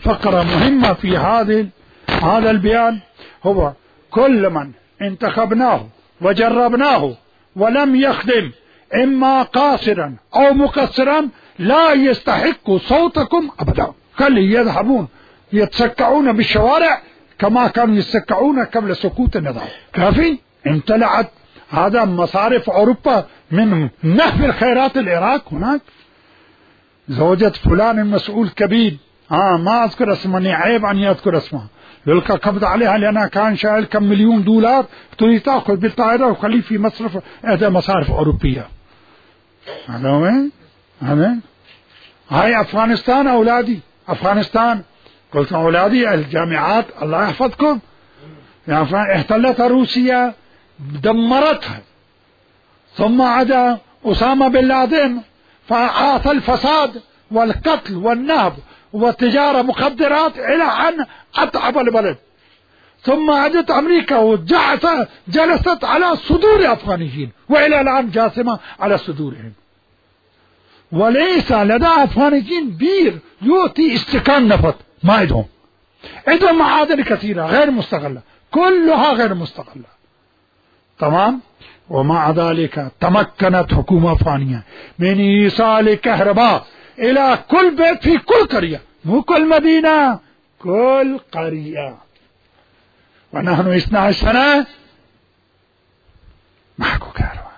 فقرة مهمة في هذا البيان، هو كل من انتخبناه وجربناه ولم يخدم إما قاصرا أو مقصرا لا يستحق صوتكم أبدا. خلي يذهبون يتسكعون بالشوارع كما كانوا يتسكعون قبل سقوط النظام. كافي. امتلأت هذا مصارف أوروبا من نهب الخيرات العراق. هناك زوجة فلان المسؤول كبير، ما أذكر اسمه، عيب أن يذكر اسمه، يلقى قبض عليها لأنها كان شايل كم مليون دولار، تريد تأخذ بالطائرة وخليه في مصرف إحدى مصارف أوروبية. هذا وين؟ هاي أفغانستان أولادي، أفغانستان. قلت أولادي الجامعات الله يحفظكم، يعني احتلتها روسيا دمرتها، ثم عدا أسامة بن لادن فعاث الفساد والقتل والنهب والتجارة مخدرات إلى أن أتعب البلد، ثم عادت أمريكا وجلست على صدور أفغانيين وإلى الآن جاثمة على صدورهم، وليس لدى أفغانيين بير يؤتي استكان نفط ما عندهم معادن كثيرة غير مستغلة، كلها غير مستغلة. تمام. ومع ذلك تمكنت حكومة أفغانية من إيصال كهرباء إلى كل بيت في كل قرية، مو كل مدينة، كل قرية. ونحن 12 سنة معكو كهرباء.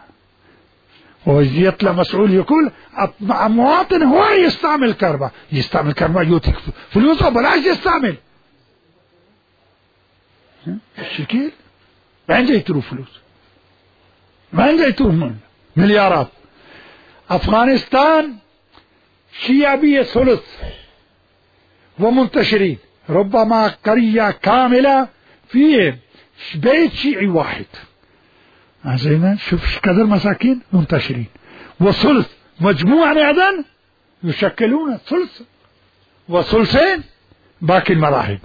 ويطلع مسؤول يقول مواطن هو يستعمل كهرباء، يستعمل كهرباء يوتي فلوس بلاش يستعمل. الشكل وين جاي تروح فلوس؟ وين جاي تروح مليارات؟ أفغانستان شيعية ثلث ومنتشرين، ربما قرية كاملة في بيت شيعي واحد. زين، شوف قدر مساكين منتشرين، وثلث مجموعة أيضا يشكلون ثلث وثلثين باقي المذاهب.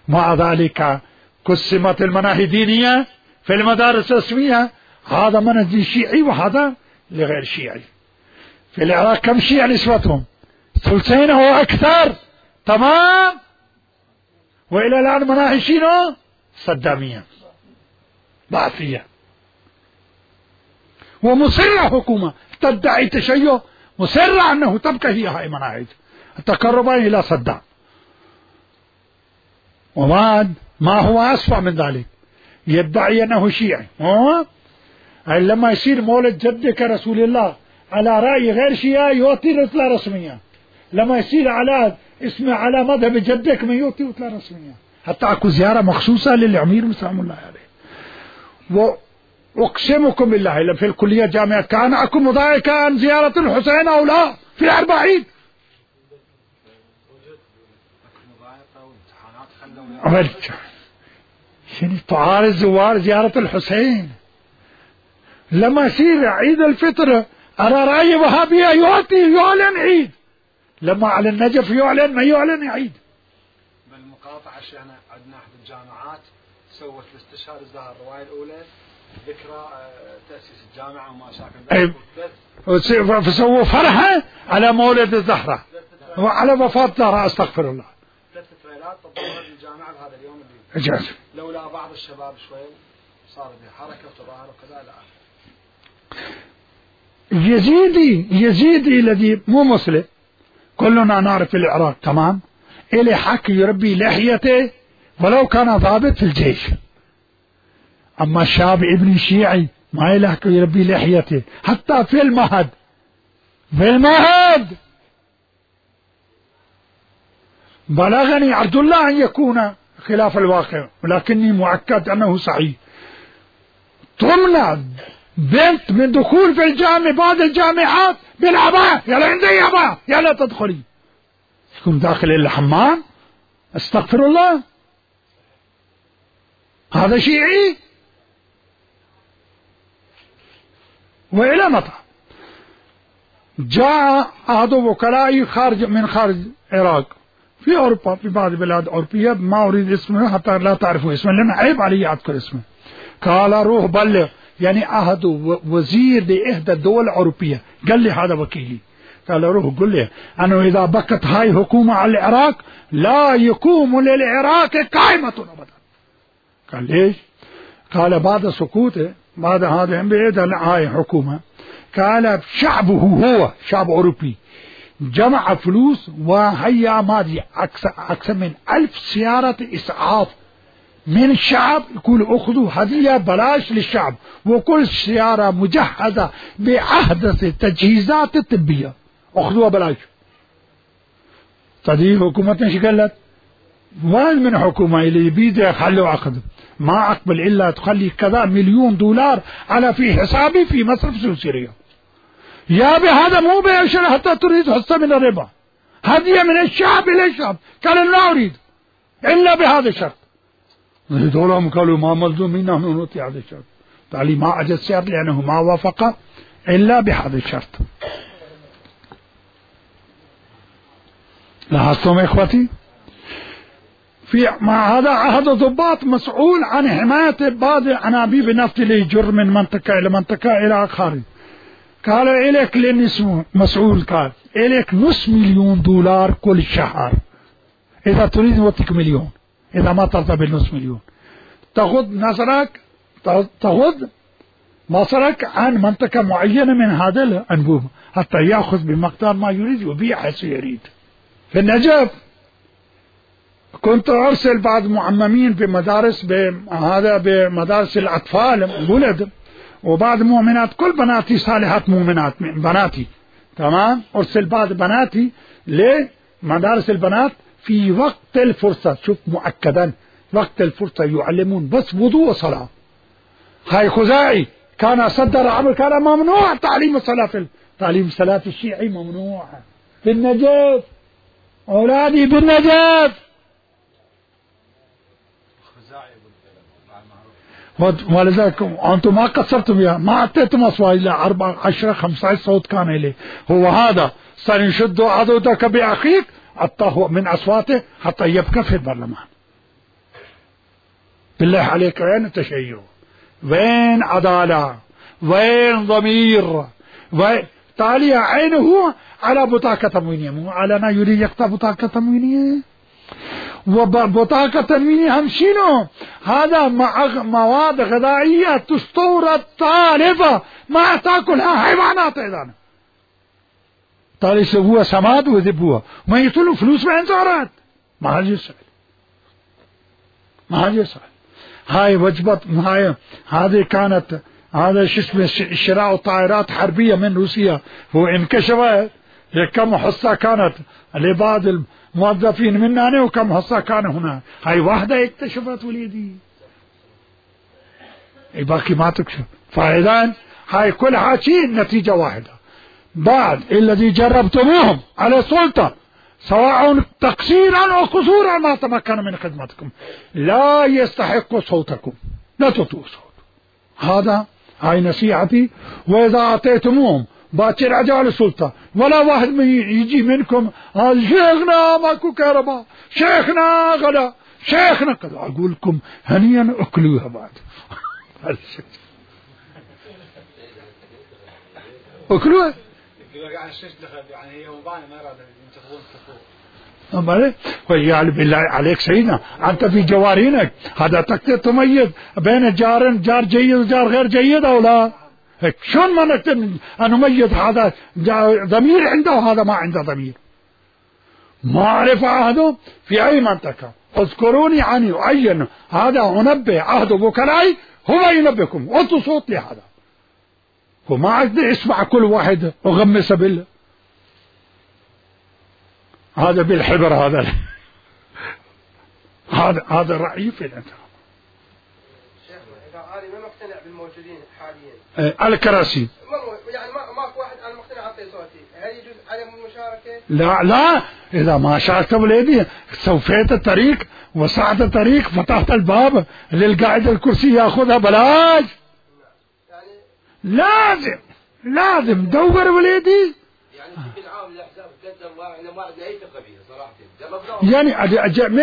مع ذلك قسمت المناهج الدينية في المدارس الرسمية، هذا منهج شيعي وهذا لغير شيعي. في العراق كم شيعة نسبتهم؟ ثلثين أو أكثر. تمام. وإلى الآن مناهج شنو؟ صدامية بعثية، ومصرة حكومة تدعي تشيع، مصرة أنه تبقى هي هاي مناهج التقرب إلى صدام. وما هو أسوأ من ذلك، يدعي أنه شيعي. لما يصير مولد جدك رسول الله على رأي غير شيعي يعطي رتلة رسمية، لما يصير على مذهب جدك ما يعطي رتلة رسمية. حتى اكو زيارة مخصوصة للأمير سلام الله عليه. وأقسمكم بالله في الكلية جامعة كان اكو مضايقة عن زيارة الحسين أو لا في 40. شنو تعارض زوار زيارة الحسين؟ لما يصير عيد الفطر على رأي وهابية يعلن عيد، لما على النجف يعلن ما يعلن عيد. بالمقاطعة شيخنا عندنا أحد الجامعات سوت لاستشهاد الزهر الرواية الأولى ذكرى تأسيس الجامعة وما شاكل، فسووا فرحة على مولد الزهرة وعلى وفاة الزهرة. استغفر الله. 3 تريلات تضمنت الجامعة بهذا اليوم اللي إجازة. لولا بعض الشباب شوي صار بحركة وتظاهر وكذا لا. يزيدي الذي مو مسلم كلنا نعرف في العراق. تمام. إلي حق يربي لحيته ولو كان ضابط في الجيش، أما الشاب ابن شيعي ما له حق يربي لحيته حتى في المهد. بلغني عبد الله أن يكون خلاف الواقع ولكني مؤكد أنه صحيح. تمنع بنت من دخول في الجامعة بعض الجامعات بالعباءة، يلا عندي عباءة يلا تدخلي، تكون داخل الحمام. استغفر الله. هذا شيعي. وإلى متى؟ جاء أحد وكلائي من خارج العراق في أوروبا، في بعض البلاد الأوروبية، ما أريد اسمه حتى لا تعرفوا اسمه لأن عيب علي أذكر اسمه. قال روح بلغ، يعني أحد وزير لإحدى الدول الأوروبية قال لي هذا وكيلي، قال روح قل لي أنه إذا بقت هاي حكومة على العراق لا يقوم للعراق قائمة أبدا. قال ليش؟ قال بعد سقوطه بعد هذا هاي حكومة، قال شعبه هو شعب أوروبي جمع فلوس وهيا ماضي أكثر من 1000 سيارة إسعاف من الشعب، يقول أخذوا هدية بلاش للشعب، وكل سيارة مجهزة بأحدث التجهيزات الطبية أخذوها بلاش. تدي حكومتنا شو قالت؟ وين من حكومة اللي بيده خلوا أخذ ما أقبل إلا تخلي كذا $1,000,000 على في حسابي في مصرف سوريا. يا بهذا مو بيشر حتى تريد حصة من الربا، هدية من الشعب إلى الشعب. قال لا أريد إلا بهذا الشرط. دولهم قالوا ما ملزومين نحن نعطي هذا الشرط. تعالي ما أجد الشرط لأنه ما وافق إلا بهذا الشرط. لاحظتم إخوتي؟ مع هذا عهد ضباط مسؤول عن حماية بعض أنابيب النفط اللي يجر من منطقة إلى منطقة إلى خارج. قال إليك للنسو مسؤول، قال إليك $500,000 كل شهر، إذا تريد نوتيك 1,000,000، إذا ما ترضى بال500,000 تأخذ نظرك تأخذ مصرك عن منطقة معينة من هذا الأنبوب حتى يأخذ بمقدار ما يريد ويبيع حيث يريد. في النجف كنت أرسل بعض معممين بمدارس بمدارس الأطفال ولد، وبعض مؤمنات، كل بناتي صالحات مؤمنات بناتي تمام، أرسل بعض بناتي لمدارس البنات في وقت الفرصة. شوف مؤكدا وقت الفرصة يعلمون بس وضوء وصلاة. هاي خزاعي كان صدر عمل، كان ممنوع تعليم الصلاة، تعليم الصلاة الشيعي ممنوع بالنجف. أولادي بالنجف ولذلك أنتم ما قصرتم بها، ما أعطيتم أصوات إلى 4 10 15 صوت كان إليه. هو هذا سنشد عضدك بأخيك أعطاه من أصواته حتى يبقى في البرلمان. بالله عليك وين التشيع؟ وين عدالة؟ وين ضمير؟ تالي عينه على بطاقة تموينية، مو على يريد يقطع بطاقة تموينية. وبطاقة تموينية هم شنو؟ هذا مواد غذائية تستورد طالبة ما تاكلها حيوانات أيضا. تالي يسووها سماد ويذبوها ما يطلوا فلوس من زارات. ما هذا يسأل، ما هذا يسأل. هاي وجبة، هذه كانت هذا شو اسمه شراء طائرات حربية من روسيا، هو انكشفت كم حصة كانت لبعض الموظفين مننا وكم حصة كان هنا. هاي واحدة اكتشفت وليدي، باقي ما تكشف. فإذا هاي كل حاجة نتيجة واحدة. بعد الذي جربتموهم على السلطة سواء تقصيرا أو قصورا ما تمكن من خدمتكم لا يستحق صوتكم، لا تعطوا صوت. هاي نصيحتي. وإذا أعطيتموهم باكر عجال السلطة ولا واحد يجي منكم شيخنا ماكو كهرباء، شيخنا غدا، شيخنا كذا، أقول لكم هنيا أكلوها بعد. أكلوها يعني هي وبانة ما رأى ينتخبون ويعني بالله عليك سيدنا أنت في جوارينك هذا تقدر تميز بين جار جيد وجار غير جيد أو لا؟ شلون ما نقدر نميز هذا ضمير عنده وهذا ما عنده ضمير؟ معرفة عهده في أي منطقة اذكروني عني وعين هذا منبه عهد وكلاي هو ينبهكم وانتوا صوت لهذا. وما عندي اسمع كل واحد وغمس بالله هذا بالحبر هذا رأيي في الانتخاب. إذا أنا ما مقتنع بالموجودين حاليا الكراسي يعني ماكو واحد أنا مقتنع أعطي صوتي، هل يجوز عدم المشاركة؟ لا إذا ما شاركت وليدي سوفيت الطريق وسعت الطريق فتحت الباب للقاعد الكرسي ياخذها بلاش. يعني لازم دور وليدي. يعني بشكل عام الأحزاب تقدم ما عندنا أي ثقة بها صراحة. يعني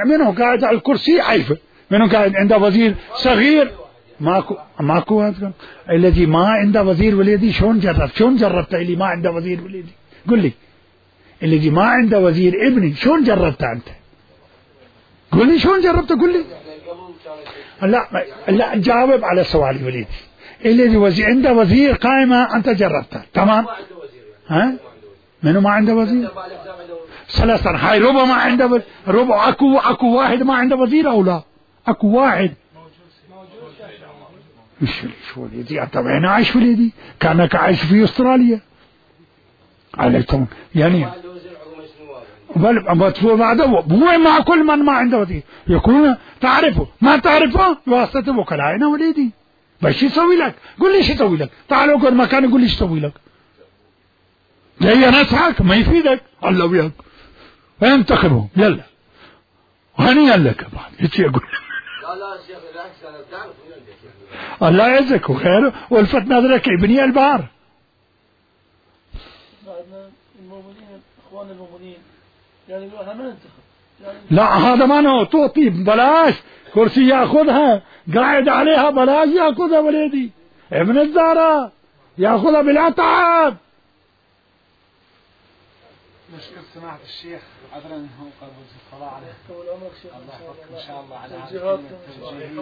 منو قاعد على الكرسي عيفه، منو قاعد عنده وزير صغير ماكو الذي ما عنده وزير وليدي. شلون جربت اللي ما عنده وزير وليدي؟ قل لي الذي ما عنده وزير ابني شلون جربته أنت؟ قل لي شلون جربته قل لي. لا جاوب على سؤالي وليدي. الذي عنده وزير قائمة أنت جربته تمام؟ ها؟ منو ما عنده وزير؟ ثلاثة هاي ربع ما عنده وزير. ربع أكو واحد ما عنده وزير أو لا؟ أكو واحد. شو وليدي أنت وين عايش وليدي؟ كأنك عايش في أستراليا. عليكم يعني. هو مع كل من ما عنده وزير يكون تعرفه ما تعرفه بواسطة وكلائنا وليدي. بس يسوي لك قل لي شو يسوي لك. تعال اقعد مكاني قل لي شو يسوي لك. جاي نصحك ما يفيدك الله وياك انتخبهم يلا وهنيئا لك بعد ايش يقول. لا شيخ بالعكس انا بتعرف الله يعزك وخير والفت نظرك ابني البار. المؤمنين اخوان المؤمنين يعني احنا ما ننتخب يعني لا هذا ما نو تعطي بلاش كرسي ياخذها قاعد عليها بلاش ياخذها وليدي ابن الزهراء ياخذها بلا تعب. نشكر سماحة الشيخ عذرا هو قبل الصلاة عليه الله يحفظك إن شاء الله على هذه التوجيهية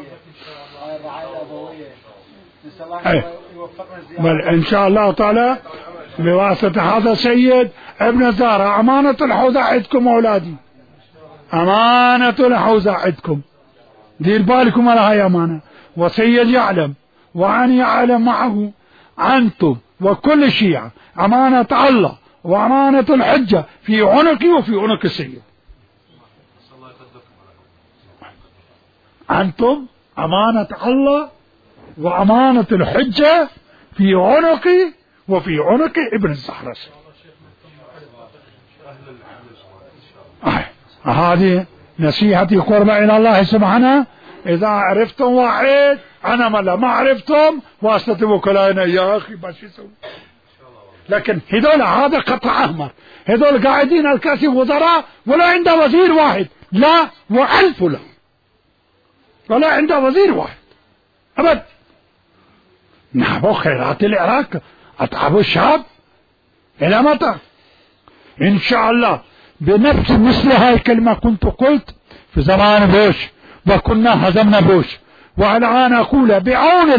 وعلى الرعاية الأبوية. نسأل الله يوفقنا زيادة بل إن شاء الله تعالى بواسطة هذا السيد ابن الزهراء. أمانة الحوزة عندكم أولادي أمانة الحوزة عندكم دير بالكم على هاي أمانة. وسيد يعلم وأن يعلم معه أنتم وكل الشيعة أمانة الله وأمانة الحجة في عنقي وفي عنق السيد. أنتم أمانة الله وأمانة الحجة في عنقي وفي عنق ابن الزهراء. هذه نصيحتي قربة إلى الله سبحانه. إذا عرفتم واحد أنا ما عرفتم واسطة وكلائنا يا أخي بس يسوي. لكن هذول هذا قطع أحمر هذول قاعدين الكاسي وزراء ولا عنده وزير واحد لا وألف له ولا عنده وزير واحد أبد. نحبوا خيرات العراق أتعبوا الشعب إلى متى؟ إن شاء الله بنفس مثل هاي الكلمة كنت قلت في زمان بوش وكنا هزمنا بوش والآن أقول بعون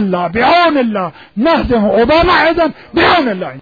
الله نهزم أوباما أيضا بعون الله.